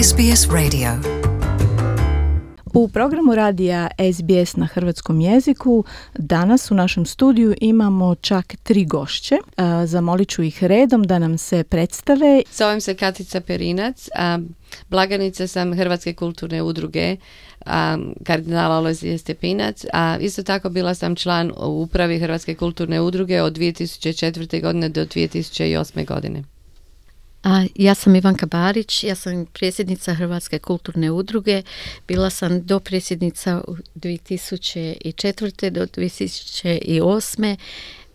SBS Radio. U programu radija SBS na hrvatskom jeziku danas u našem studiju imamo čak 3 gošće. Zamolit ću ih redom da nam se predstave. Zovem se Katica Perinac, blagajnica sam Hrvatske kulturne udruge kardinala Alojzije Stepinac, a isto tako bila sam član u upravi Hrvatske kulturne udruge od 2004. godine do 2008. godine. Ja sam Ivanka Barić, ja sam predsjednica Hrvatske kulturne udruge, bila sam dopredsjednica od 2004. do 2008.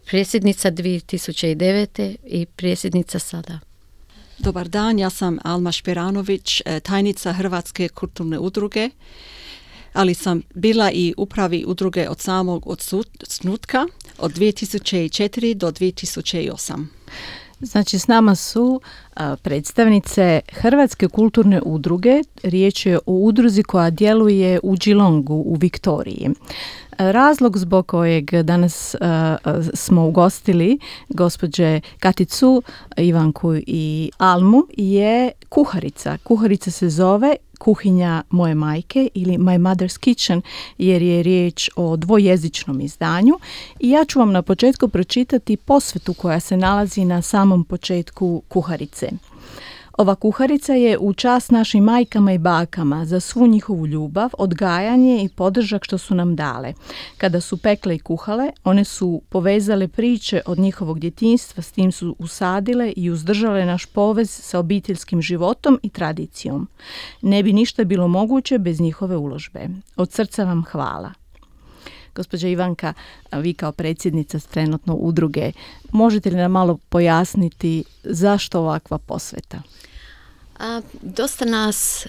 predsjednica 2009. i predsjednica sada. Dobar dan, ja sam Alma Šperanović, tajnica Hrvatske kulturne udruge, ali sam bila i upravi udruge od samog osnutka od 2004. do 2008. Znači, s nama su predstavnice Hrvatske kulturne udruge. Riječ je o udruzi koja djeluje u Geelongu u Viktoriji. Razlog zbog kojeg danas smo ugostili gospođe Katicu, Ivanku i Almu je kuharica. Kuharica se zove Kuhinja moje majke ili My Mother's Kitchen, jer je riječ o dvojezičnom izdanju. I ja ću vam na početku pročitati posvetu koja se nalazi na samom početku kuharice. Ova kuharica je u čast našim majkama i bakama za svu njihovu ljubav, odgajanje i podržak što su nam dale. Kada su pekle i kuhale, one su povezale priče od njihovog djetinjstva, s tim su usadile i uzdržale naš povez sa obiteljskim životom i tradicijom. Ne bi ništa bilo moguće bez njihove uložbe. Od srca vam hvala. Gospođa Ivanka, vi kao predsjednica trenutno udruge, možete li nam malo pojasniti zašto ovakva posveta? Dosta nas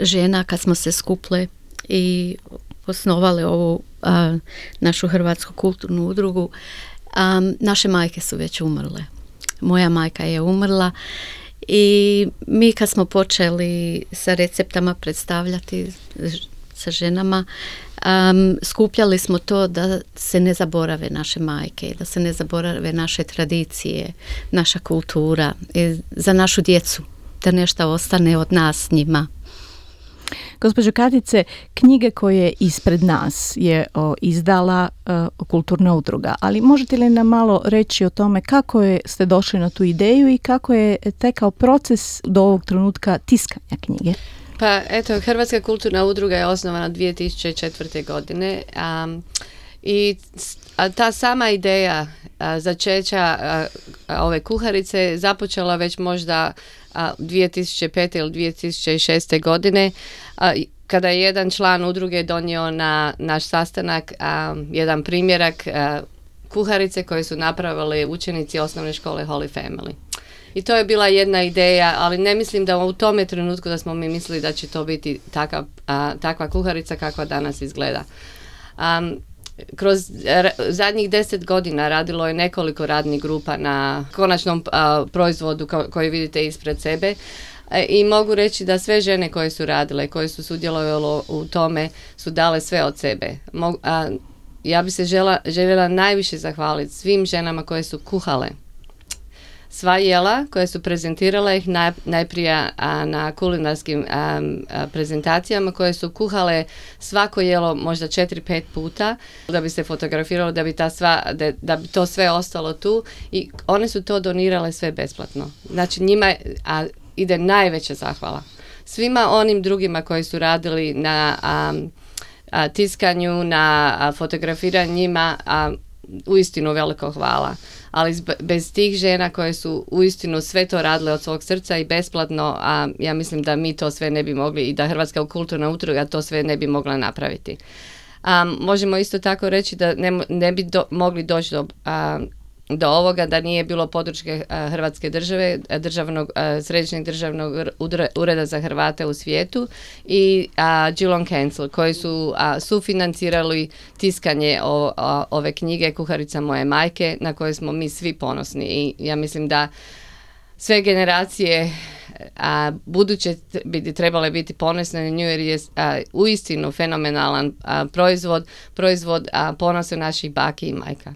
žena kad smo se skupile i osnovale ovu našu Hrvatsku kulturnu udrugu, naše majke su već umrle. Moja majka je umrla i mi kad smo počeli sa receptama predstavljati sa ženama, skupljali smo to da se ne zaborave naše majke, da se ne zaborave naše tradicije, naša kultura i za našu djecu, da nešto ostane od nas njima. Gospođo Katice, knjige koje ispred nas je izdala kulturna udruga, ali možete li nam malo reći o tome kako ste došli na tu ideju i kako je tekao proces do ovog trenutka tiskanja knjige? Pa eto, Hrvatska kulturna udruga je osnovana 2004. godine i ta sama ideja začeća ove kuharice započela već možda 2005. ili 2006. godine kada je jedan član udruge donio na naš sastanak jedan primjerak kuharice koje su napravili učenici osnovne škole Holy Family. I to je bila jedna ideja, ali ne mislim da u tome trenutku da smo mi mislili da će to biti takva kuharica kakva danas izgleda. Kroz zadnjih 10 godina radilo je nekoliko radnih grupa na konačnom proizvodu koji vidite ispred sebe. I mogu reći da sve žene koje su radile, koje su sudjelovale u tome, su dale sve od sebe. Ja bi se željela najviše zahvaliti svim ženama koje su kuhale sva jela koje su prezentirale ih najprije na kulinarskim prezentacijama, koje su kuhale svako jelo možda 4-5 puta da bi se fotografiralo, da bi to sve ostalo tu, i one su to donirale sve besplatno. Znači njima ide najveća zahvala. Svima onim drugima koji su radili na tiskanju, na fotografiranju njima, uistinu veliko hvala. Ali bez tih žena koje su uistinu sve to radile od svog srca i besplatno, ja mislim da mi to sve ne bi mogli i da Hrvatska kulturna udruga to sve ne bi mogla napraviti. Možemo isto tako reći da ne bi mogli doći do ovoga da nije bilo podrške Hrvatske države, Središnjeg državnog ureda za Hrvate u svijetu i Geelong Council koji su sufinancirali tiskanje ove knjige Kuharica moje majke, na koje smo mi svi ponosni. I ja mislim da sve generacije buduće bi trebale biti ponosne na nju, jer je uistinu fenomenalan proizvod ponosa naših baki i majka.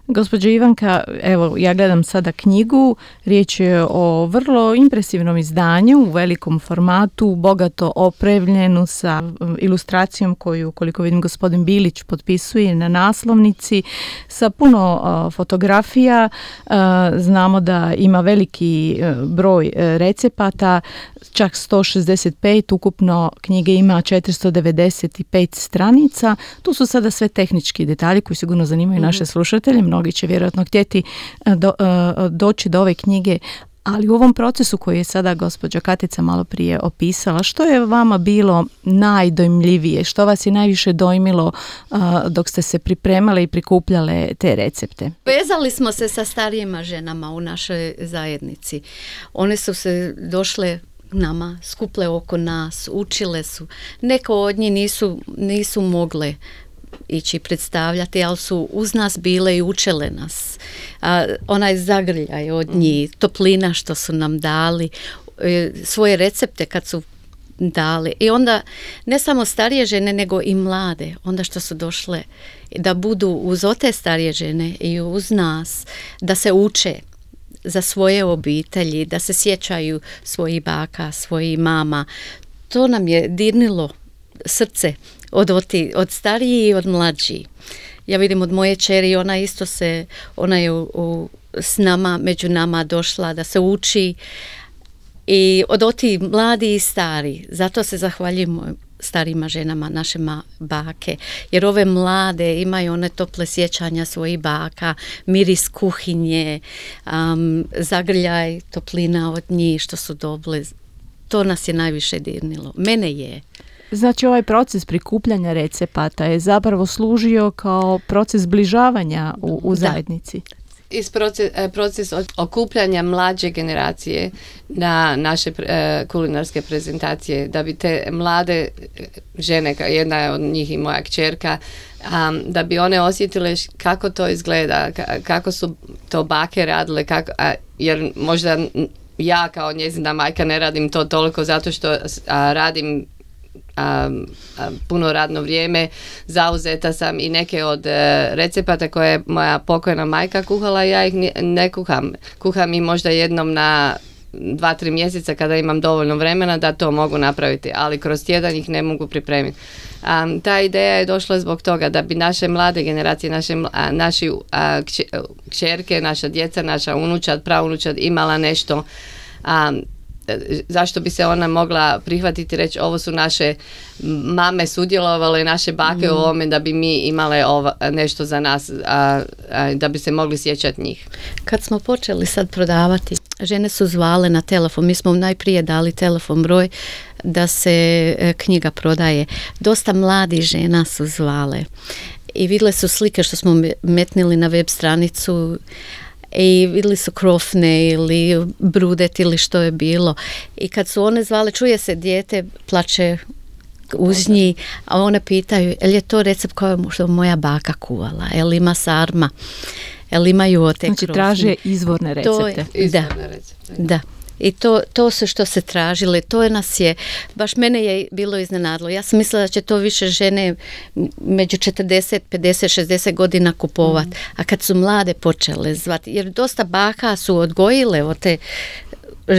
Gospođo Ivanka, evo ja gledam sada knjigu, riječ je o vrlo impresivnom izdanju u velikom formatu, bogato opremljenu sa ilustracijom koju, koliko vidim, gospodin Bilić potpisuje na naslovnici, sa puno fotografija. Znamo da ima veliki broj recepata, čak 165, ukupno knjige ima 495 stranica. Tu su sada sve tehnički detalji koji sigurno zanimaju naše slušatelje. Mnogi će vjerojatno htjeti doći do ove knjige, ali u ovom procesu koji je sada gospođa Katica malo prije opisala, što je vama bilo najdojmljivije, što vas je najviše dojmilo dok ste se pripremale i prikupljale te recepte? Vezali smo se sa starijima ženama u našoj zajednici. One su se došle nama, skuple oko nas, učile su. Neko od njih nisu mogle ići predstavljati, ali su uz nas bile i učile nas. Onaj zagrljaj od njih, toplina što su nam dali, svoje recepte kad su dali. I onda ne samo starije žene, nego i mlade, onda što su došle da budu uz te starije žene i uz nas, da se uče za svoje obitelji, da se sjećaju svojih baka, svojih mama. To nam je dirnilo srce od stariji i od mlađi. Ja vidim od moje čeri, ona je s nama, među nama došla da se uči, i od oti mladi i stari. Zato se zahvaljujemo starima ženama, naše bake, jer ove mlade imaju one tople sjećanja svojih baka, miris kuhinje, zagrljaj, toplina od njih što su dobile. To nas je najviše dirnilo. Mene je. Znači, ovaj proces prikupljanja recepata je zapravo služio kao proces zbližavanja u zajednici. Proces okupljanja mlađe generacije na naše kulinarske prezentacije, da bi te mlade žene, jedna je od njih i moja kćerka, da bi one osjetile kako to izgleda, kako su to bake radile, jer možda ja kao njezina majka ne radim to toliko zato što radim puno radno vrijeme, zauzeta sam i neke od recepata koje je moja pokojna majka kuhala, ja ih ne kuham. Kuham i možda jednom na 2-3 mjeseca kada imam dovoljno vremena da to mogu napraviti, ali kroz tjedan ih ne mogu pripremiti. Ta ideja je došla zbog toga da bi naše mlade generacije, naši kćerke, naša djeca, naša unučad, praunučad imala nešto zašto bi se ona mogla prihvatiti i reći ovo su naše mame sudjelovale, naše bake u ovome, da bi mi imale nešto za nas, da bi se mogli sjećati njih. Kad smo počeli sad prodavati, žene su zvale na telefon. Mi smo najprije dali telefon broj da se knjiga prodaje. Dosta mladih žena su zvale i vidjele su slike što smo metnili na web stranicu i vidjeli su krofne ili brudet ili što je bilo. I kad su one zvale, čuje se dijete, plače uz njih, a one pitaju, je li je to recept koji je moja baka kuvala, je li ima sarma, je li imaju te krofne. Znači traže izvorne recepte. Da. I to su što se tražile, to nas je, baš mene je bilo iznenadilo. Ja sam mislila da će to više žene među 40, 50, 60 godina kupovat, a kad su mlade počele zvati, jer dosta baka su odgojile od te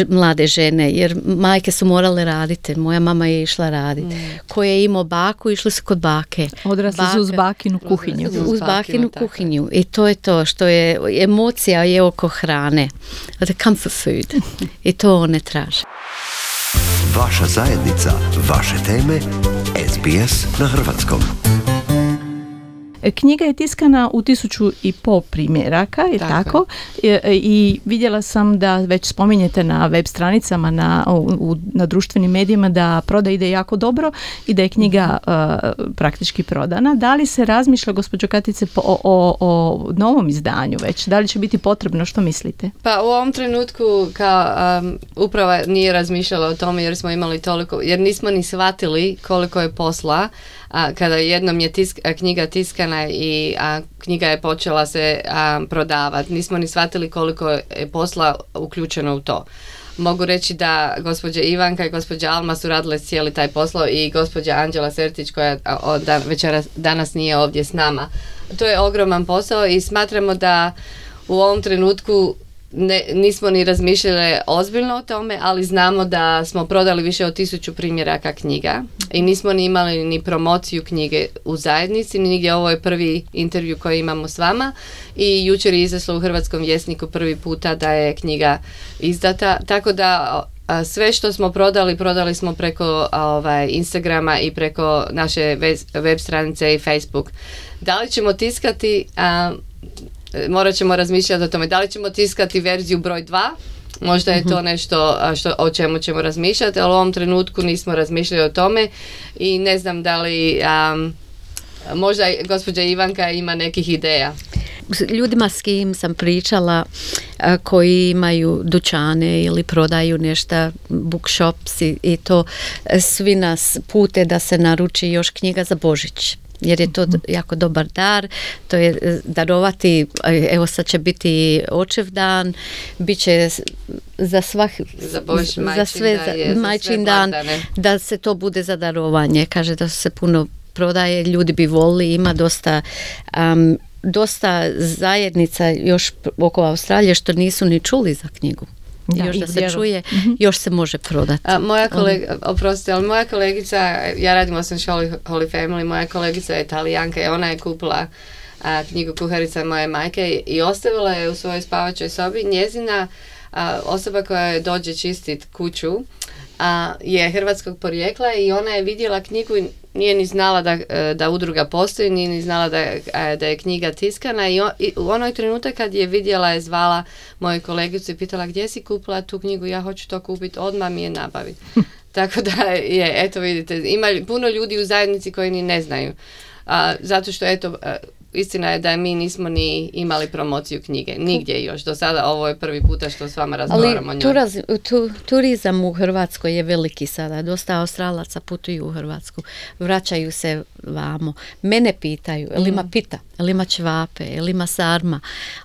mlade žene, jer majke su morale raditi, moja mama je išla raditi. Ko je imao baku, išli su kod bake. Odrasli su uz bakinu kuhinju. Uz bakinu kuhinju. I to je to što je, emocija je oko hrane. The comfort food. I to one traže. Vaša zajednica, vaše teme, SBS na hrvatskom. Knjiga je tiskana u 1500 primjeraka, je tako? I vidjela sam da već spominjete na web stranicama, na društvenim medijima, da proda ide jako dobro i da je knjiga praktički prodana. Da li se razmišlja, gospođo Katice, o novom izdanju već? Da li će biti potrebno? Što mislite? Pa u ovom trenutku uprava nije razmišljala o tome jer smo imali toliko, jer nismo ni shvatili koliko je posla. Kada jednom je knjiga tiskana i knjiga je počela se prodavati, nismo ni shvatili koliko je posla uključeno u to. mogu reći da gospođa Ivanka i gospođa Alma su radile cijeli taj posao i gospođa Anđela Sertić koja danas nije ovdje s nama. To je ogroman posao i smatramo da u ovom trenutku nismo ni razmišljali ozbiljno o tome, ali znamo da smo prodali više od 1000 primjeraka knjiga i nismo ni imali ni promociju knjige u zajednici, ni nigdje. Ovo je prvi intervju koji imamo s vama i jučer je izašlo u Hrvatskom vjesniku prvi puta da je knjiga izdata, tako da sve što smo prodali smo preko Instagrama i preko naše web stranice i Facebook. Da li ćemo tiskati, morat ćemo razmišljati o tome, da li ćemo tiskati verziju broj 2, možda je to nešto o čemu ćemo razmišljati, ali u ovom trenutku nismo razmišljali o tome i ne znam da li možda gospođa Ivanka ima nekih ideja. Ljudima s kim sam pričala koji imaju dućane ili prodaju nešto, bookshops i to, svi nas pute da se naruči još knjiga za Božić. Jer je to jako dobar dar, to je darovati, evo sad će biti očev dan, bit će za majčin dan, da se to bude za darovanje. Kaže da se puno prodaje, ljudi bi volili, ima dosta zajednica još oko Australije što nisu ni čuli za knjigu. Još da se čuje, još se može prodati. Moja kolegica, ja radim u osnovnoj školi Holy Family, moja kolegica je Italijanka i ona je kupila knjigu Kuharica moje majke i ostavila je u svojoj spavačoj sobi. Njezina osoba koja dođe čistit kuću je hrvatskog porijekla i ona je vidjela knjigu i nije ni znala da udruga postoji, nije ni znala da je knjiga tiskana i u onoj trenutak kad je vidjela je zvala moju kolegicu i pitala gdje si kupila tu knjigu, ja hoću to kupiti, odmah mi je nabaviti. Tako da je, eto vidite, ima puno ljudi u zajednici koji ni ne znaju. Zato što eto, istina je da mi nismo ni imali promociju knjige. Nigdje još. Do sada ovo je prvi puta što s vama razgovaramo o njoj. Turizam u Hrvatskoj je veliki sada. Dosta Australaca putuju u Hrvatsku. Vraćaju se vamo. Mene pitaju, jel ima pita, jel ima ćevape, jel ima sarma.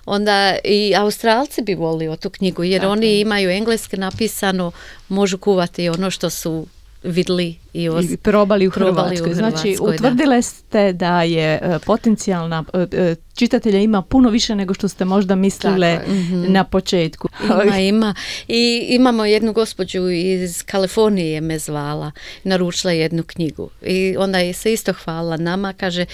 Onda i Australci bi volili tu knjigu jer oni imaju engleski napisano, možu kuvati ono što su vidli i probali u Hrvatskoj. Znači, utvrdile ste da je potencijalna čitatelja ima puno više nego što ste možda mislile na početku. Ima. I imamo jednu gospođu iz Kalifornije me zvala, naručila jednu knjigu. I onda je se isto hvala nama, kaže,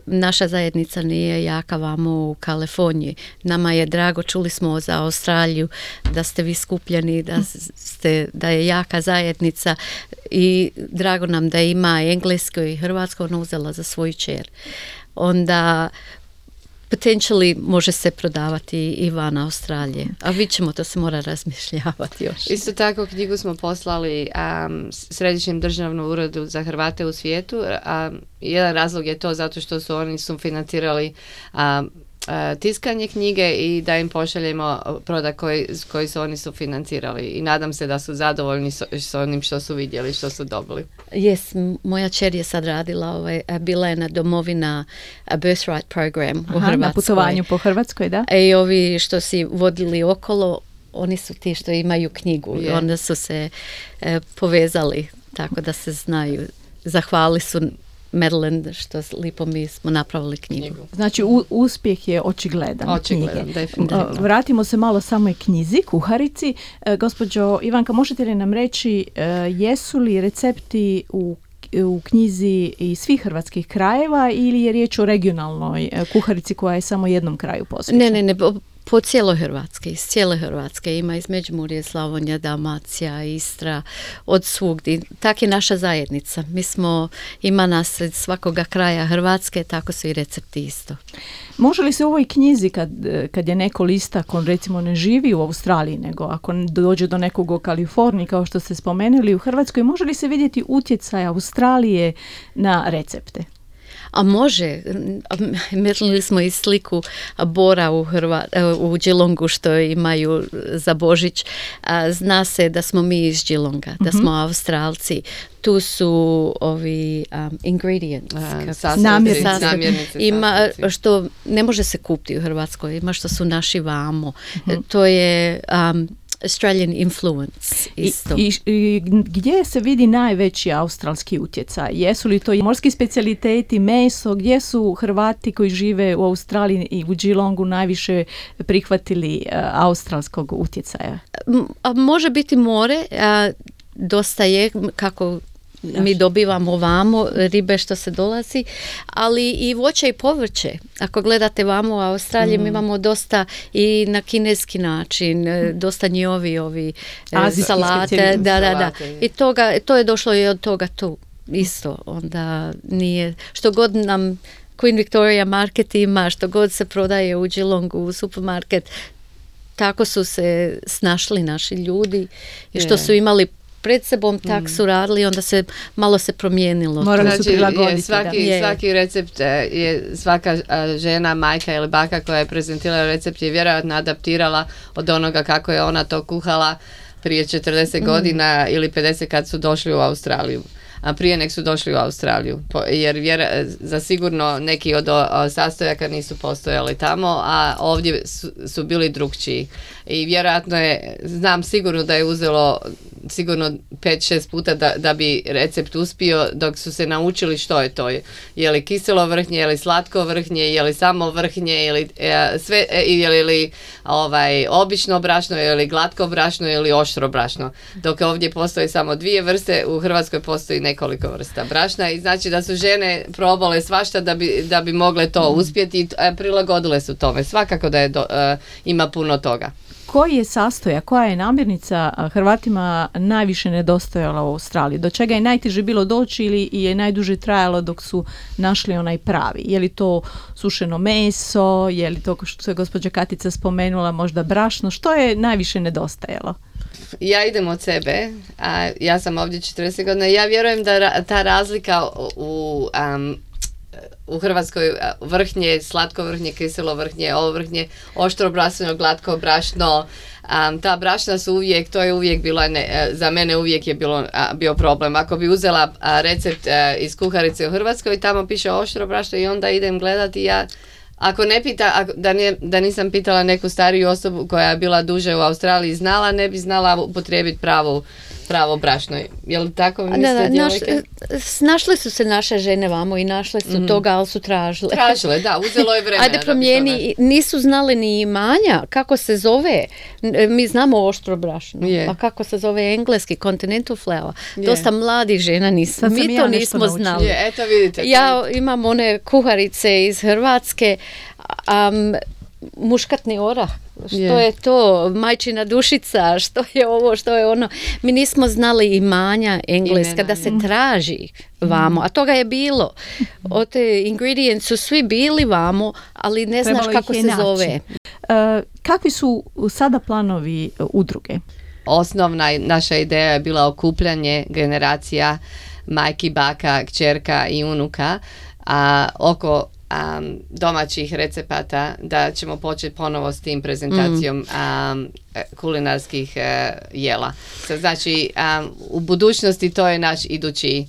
naša zajednica nije jaka vamo u Kaliforniji. Nama je drago, čuli smo za Australiju, da ste vi skupljeni, da je jaka zajednica i drago nam da ima englesko i hrvatsko, ona uzela za svoju čer. Onda potentially može se prodavati i van Australije. A vidjet ćemo, to se mora razmišljavati još. Isto tako knjigu smo poslali Središnjem državnom uredu za Hrvate u svijetu. Jedan razlog je to zato što su oni sufinancirali tiskanje knjige i da im pošaljemo prodak koji su oni sufinancirali. I nadam se da su zadovoljni s onim što su vidjeli, što su dobili. Moja čer je sad radila, bila je na domovina Birthright program u Hrvatskoj. Na putovanju po Hrvatskoj, da? I ovi što si vodili okolo, oni su ti što imaju knjigu. I onda su se povezali tako da se znaju. Zahvali su Madeline što lipo mi smo napravili knjigu. Znači uspjeh je očigledan. Očigledan, definitivno. Vratimo se malo samoj knjizi, Kuharici. Gospođo Ivanka, možete li nam reći jesu li recepti u knjizi iz svih hrvatskih krajeva ili je riječ o regionalnoj kuharici koja je samo jednom kraju posvećena? Ne. Po cijeloj Hrvatske, iz cijele Hrvatske ima iz Međimurje, Slavonija, Dalmacija, Istra, od svugdje. Tak je naša zajednica. Ima nas iz svakoga kraja Hrvatske, tako su i recepti isto. Može li se u ovoj knjizi kad je neko lista, ako recimo ne živi u Australiji, nego ako dođe do nekog u Kaliforniji, kao što ste spomenuli u Hrvatskoj, može li se vidjeti utjecaj Australije na recepte? A može, metnuli smo i sliku bora u Geelongu što imaju za Božić. Zna se da smo mi iz Geelonga, da smo Australci. Tu su ovi ingredients, namirnice. Ima što ne može se kupiti u Hrvatskoj, ima što su naši vamo. To je Australian influence isto. I gdje se vidi najveći australski utjecaj? Jesu li to morski specijaliteti, meso? Gdje su Hrvati koji žive u Australiji i u Geelongu najviše prihvatili australskog utjecaja? Može biti more, dosta je kako mi dobivamo ovamo ribe što se dolazi, ali i voće i povrće. Ako gledate vamo u Australiji, mi imamo dosta i na kineski način, dosta ovi salate. Da. I to je došlo i od toga tu. Isto, onda nije, što god nam Queen Victoria Market ima, što god se prodaje u Geelongu, u supermarket, tako su se snašli naši ljudi i što su imali pred sebom, tak su radili, onda se malo se promijenilo. Morali su prilagoditi. Svaki recept je svaka žena, majka ili baka koja je prezentirala recept je vjerojatno adaptirala od onoga kako je ona to kuhala prije 40 godina ili 50 kad su došli u Australiju. A prije nek su došli u Australiju, jer zasigurno neki od sastojaka nisu postojali tamo, a ovdje su bili drukčiji. I vjerojatno je, znam sigurno da je uzelo sigurno 5-6 puta da bi recept uspio dok su se naučili što je to. Je li kiselo vrhnje, je li slatko vrhnje, je li samo vrhnje, ili obično brašno, je li glatko brašno ili oštro brašno. Dok ovdje postoji samo 2 vrste, u Hrvatskoj postoji nekoliko vrsta brašna i znači da su žene probale svašta da bi mogle to uspjeti i prilagodile su tome. Svakako da je ima puno toga. Koji je sastojak, koja je namirnica Hrvatima najviše nedostajala u Australiji? Do čega je najteže bilo doći ili je najduže trajalo dok su našli onaj pravi? Je li to sušeno meso, je li to što je gospođa Katica spomenula možda brašno? Što je najviše nedostajalo? Ja idem od sebe, a ja sam ovdje 40 godina. Ja vjerujem da ta razlika u Hrvatskoj vrhnje, slatko vrhnje, kiselo vrhnje, ovo vrhnje, oštro brašno, glatko brašno, ta brašna su uvijek, to je uvijek bilo, za mene uvijek je bio problem. Ako bi uzela recept iz kuharice u Hrvatskoj, tamo piše oštro brašno i onda idem gledati ja. Ako ne pita, da nisam pitala neku stariju osobu koja je bila duže u Australiji znala, ne bi znala upotrijebiti pravo brašno. Je li tako mislite, djevojke? Snašle su se naše žene vamo i našle su toga, ali su tražile. Tražile, da, uzelo je vremena. Ajde promijeni, nisu znali ni imanja, kako se zove. Mi znamo oštro brašno, a kako se zove engleski, continental flour. Dosta mladih žena mi to nismo znali. Eto vidite. Ja imam one kuharice iz Hrvatske, muškatni orah, što je to, majčina dušica, što je ovo, što je ono. Mi nismo znali imanja engleska da se traži vamo, a toga je bilo. Od te ingredients su svi bili vamo, ali ne znaš kako se zove. Kakvi su sada planovi udruge? Osnovna naša ideja je bila okupljanje generacija majki, baka, kćerka i unuka oko domaćih recepata, da ćemo početi ponovo s tim prezentacijom kulinarskih jela. Znači, u budućnosti to je naš idući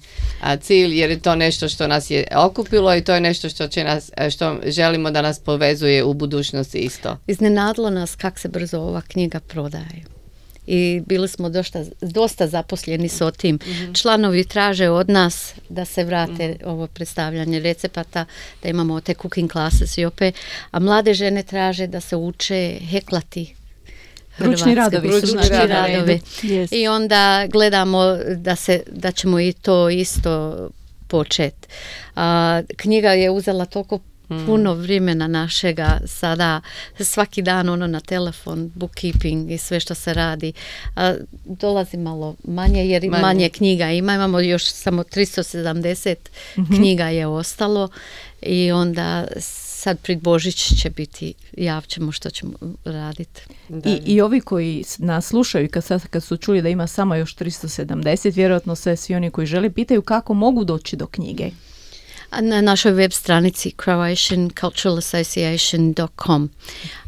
cilj, jer je to nešto što nas je okupilo i to je nešto što želimo da nas povezuje u budućnosti isto. Iznenadilo nas kako se brzo ova knjiga prodaje. I bili smo dosta zaposleni s tim. Članovi traže od nas da se vrate ovo predstavljanje recepata, da imamo te cooking classes i opet, a mlade žene traže da se uče heklati. Ručni radovi. Yes. I onda gledamo da ćemo i to isto početi. Knjiga je uzela toliko puno vremena našega sada, svaki dan na telefon, bookkeeping i sve što se radi. Dolazi malo manje jer manje knjiga imamo još samo 370 knjiga je ostalo i onda sad pred Božić će biti, javćemo što ćemo raditi. I ovi koji nas slušaju kad su čuli da ima samo još 370, vjerojatno se svi oni koji žele pitaju kako mogu doći do knjige. Na našoj web stranici croatianculturalassociation.com.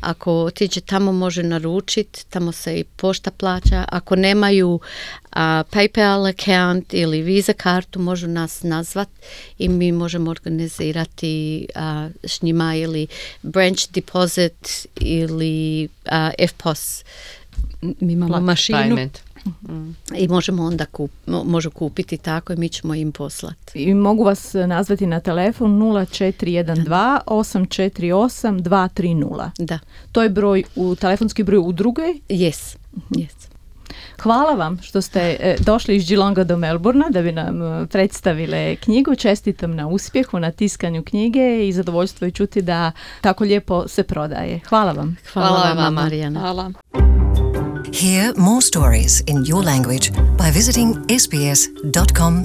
Ako otiđe tamo može naručiti, tamo se i pošta plaća. Ako nemaju PayPal account ili Visa kartu, možu nas nazvat i mi možemo organizirati s njima ili branch deposit ili FPOS mi imamo mašinu Payment. i možemo onda može kupiti tako i mi ćemo im poslati. I mogu vas nazvati na telefon 0412 848 230. Da, To je telefonski broj udruge. yes. Hvala vam što ste došli iz Geelonga do Melbourna da bi nam predstavile knjigu. Čestitam na uspjehu, na tiskanju knjige i zadovoljstvo je čuti da tako lijepo se prodaje. Hvala vam. Hvala vama. vam, Marijana. Hvala. Hear more stories in your language by visiting sbs.com.au.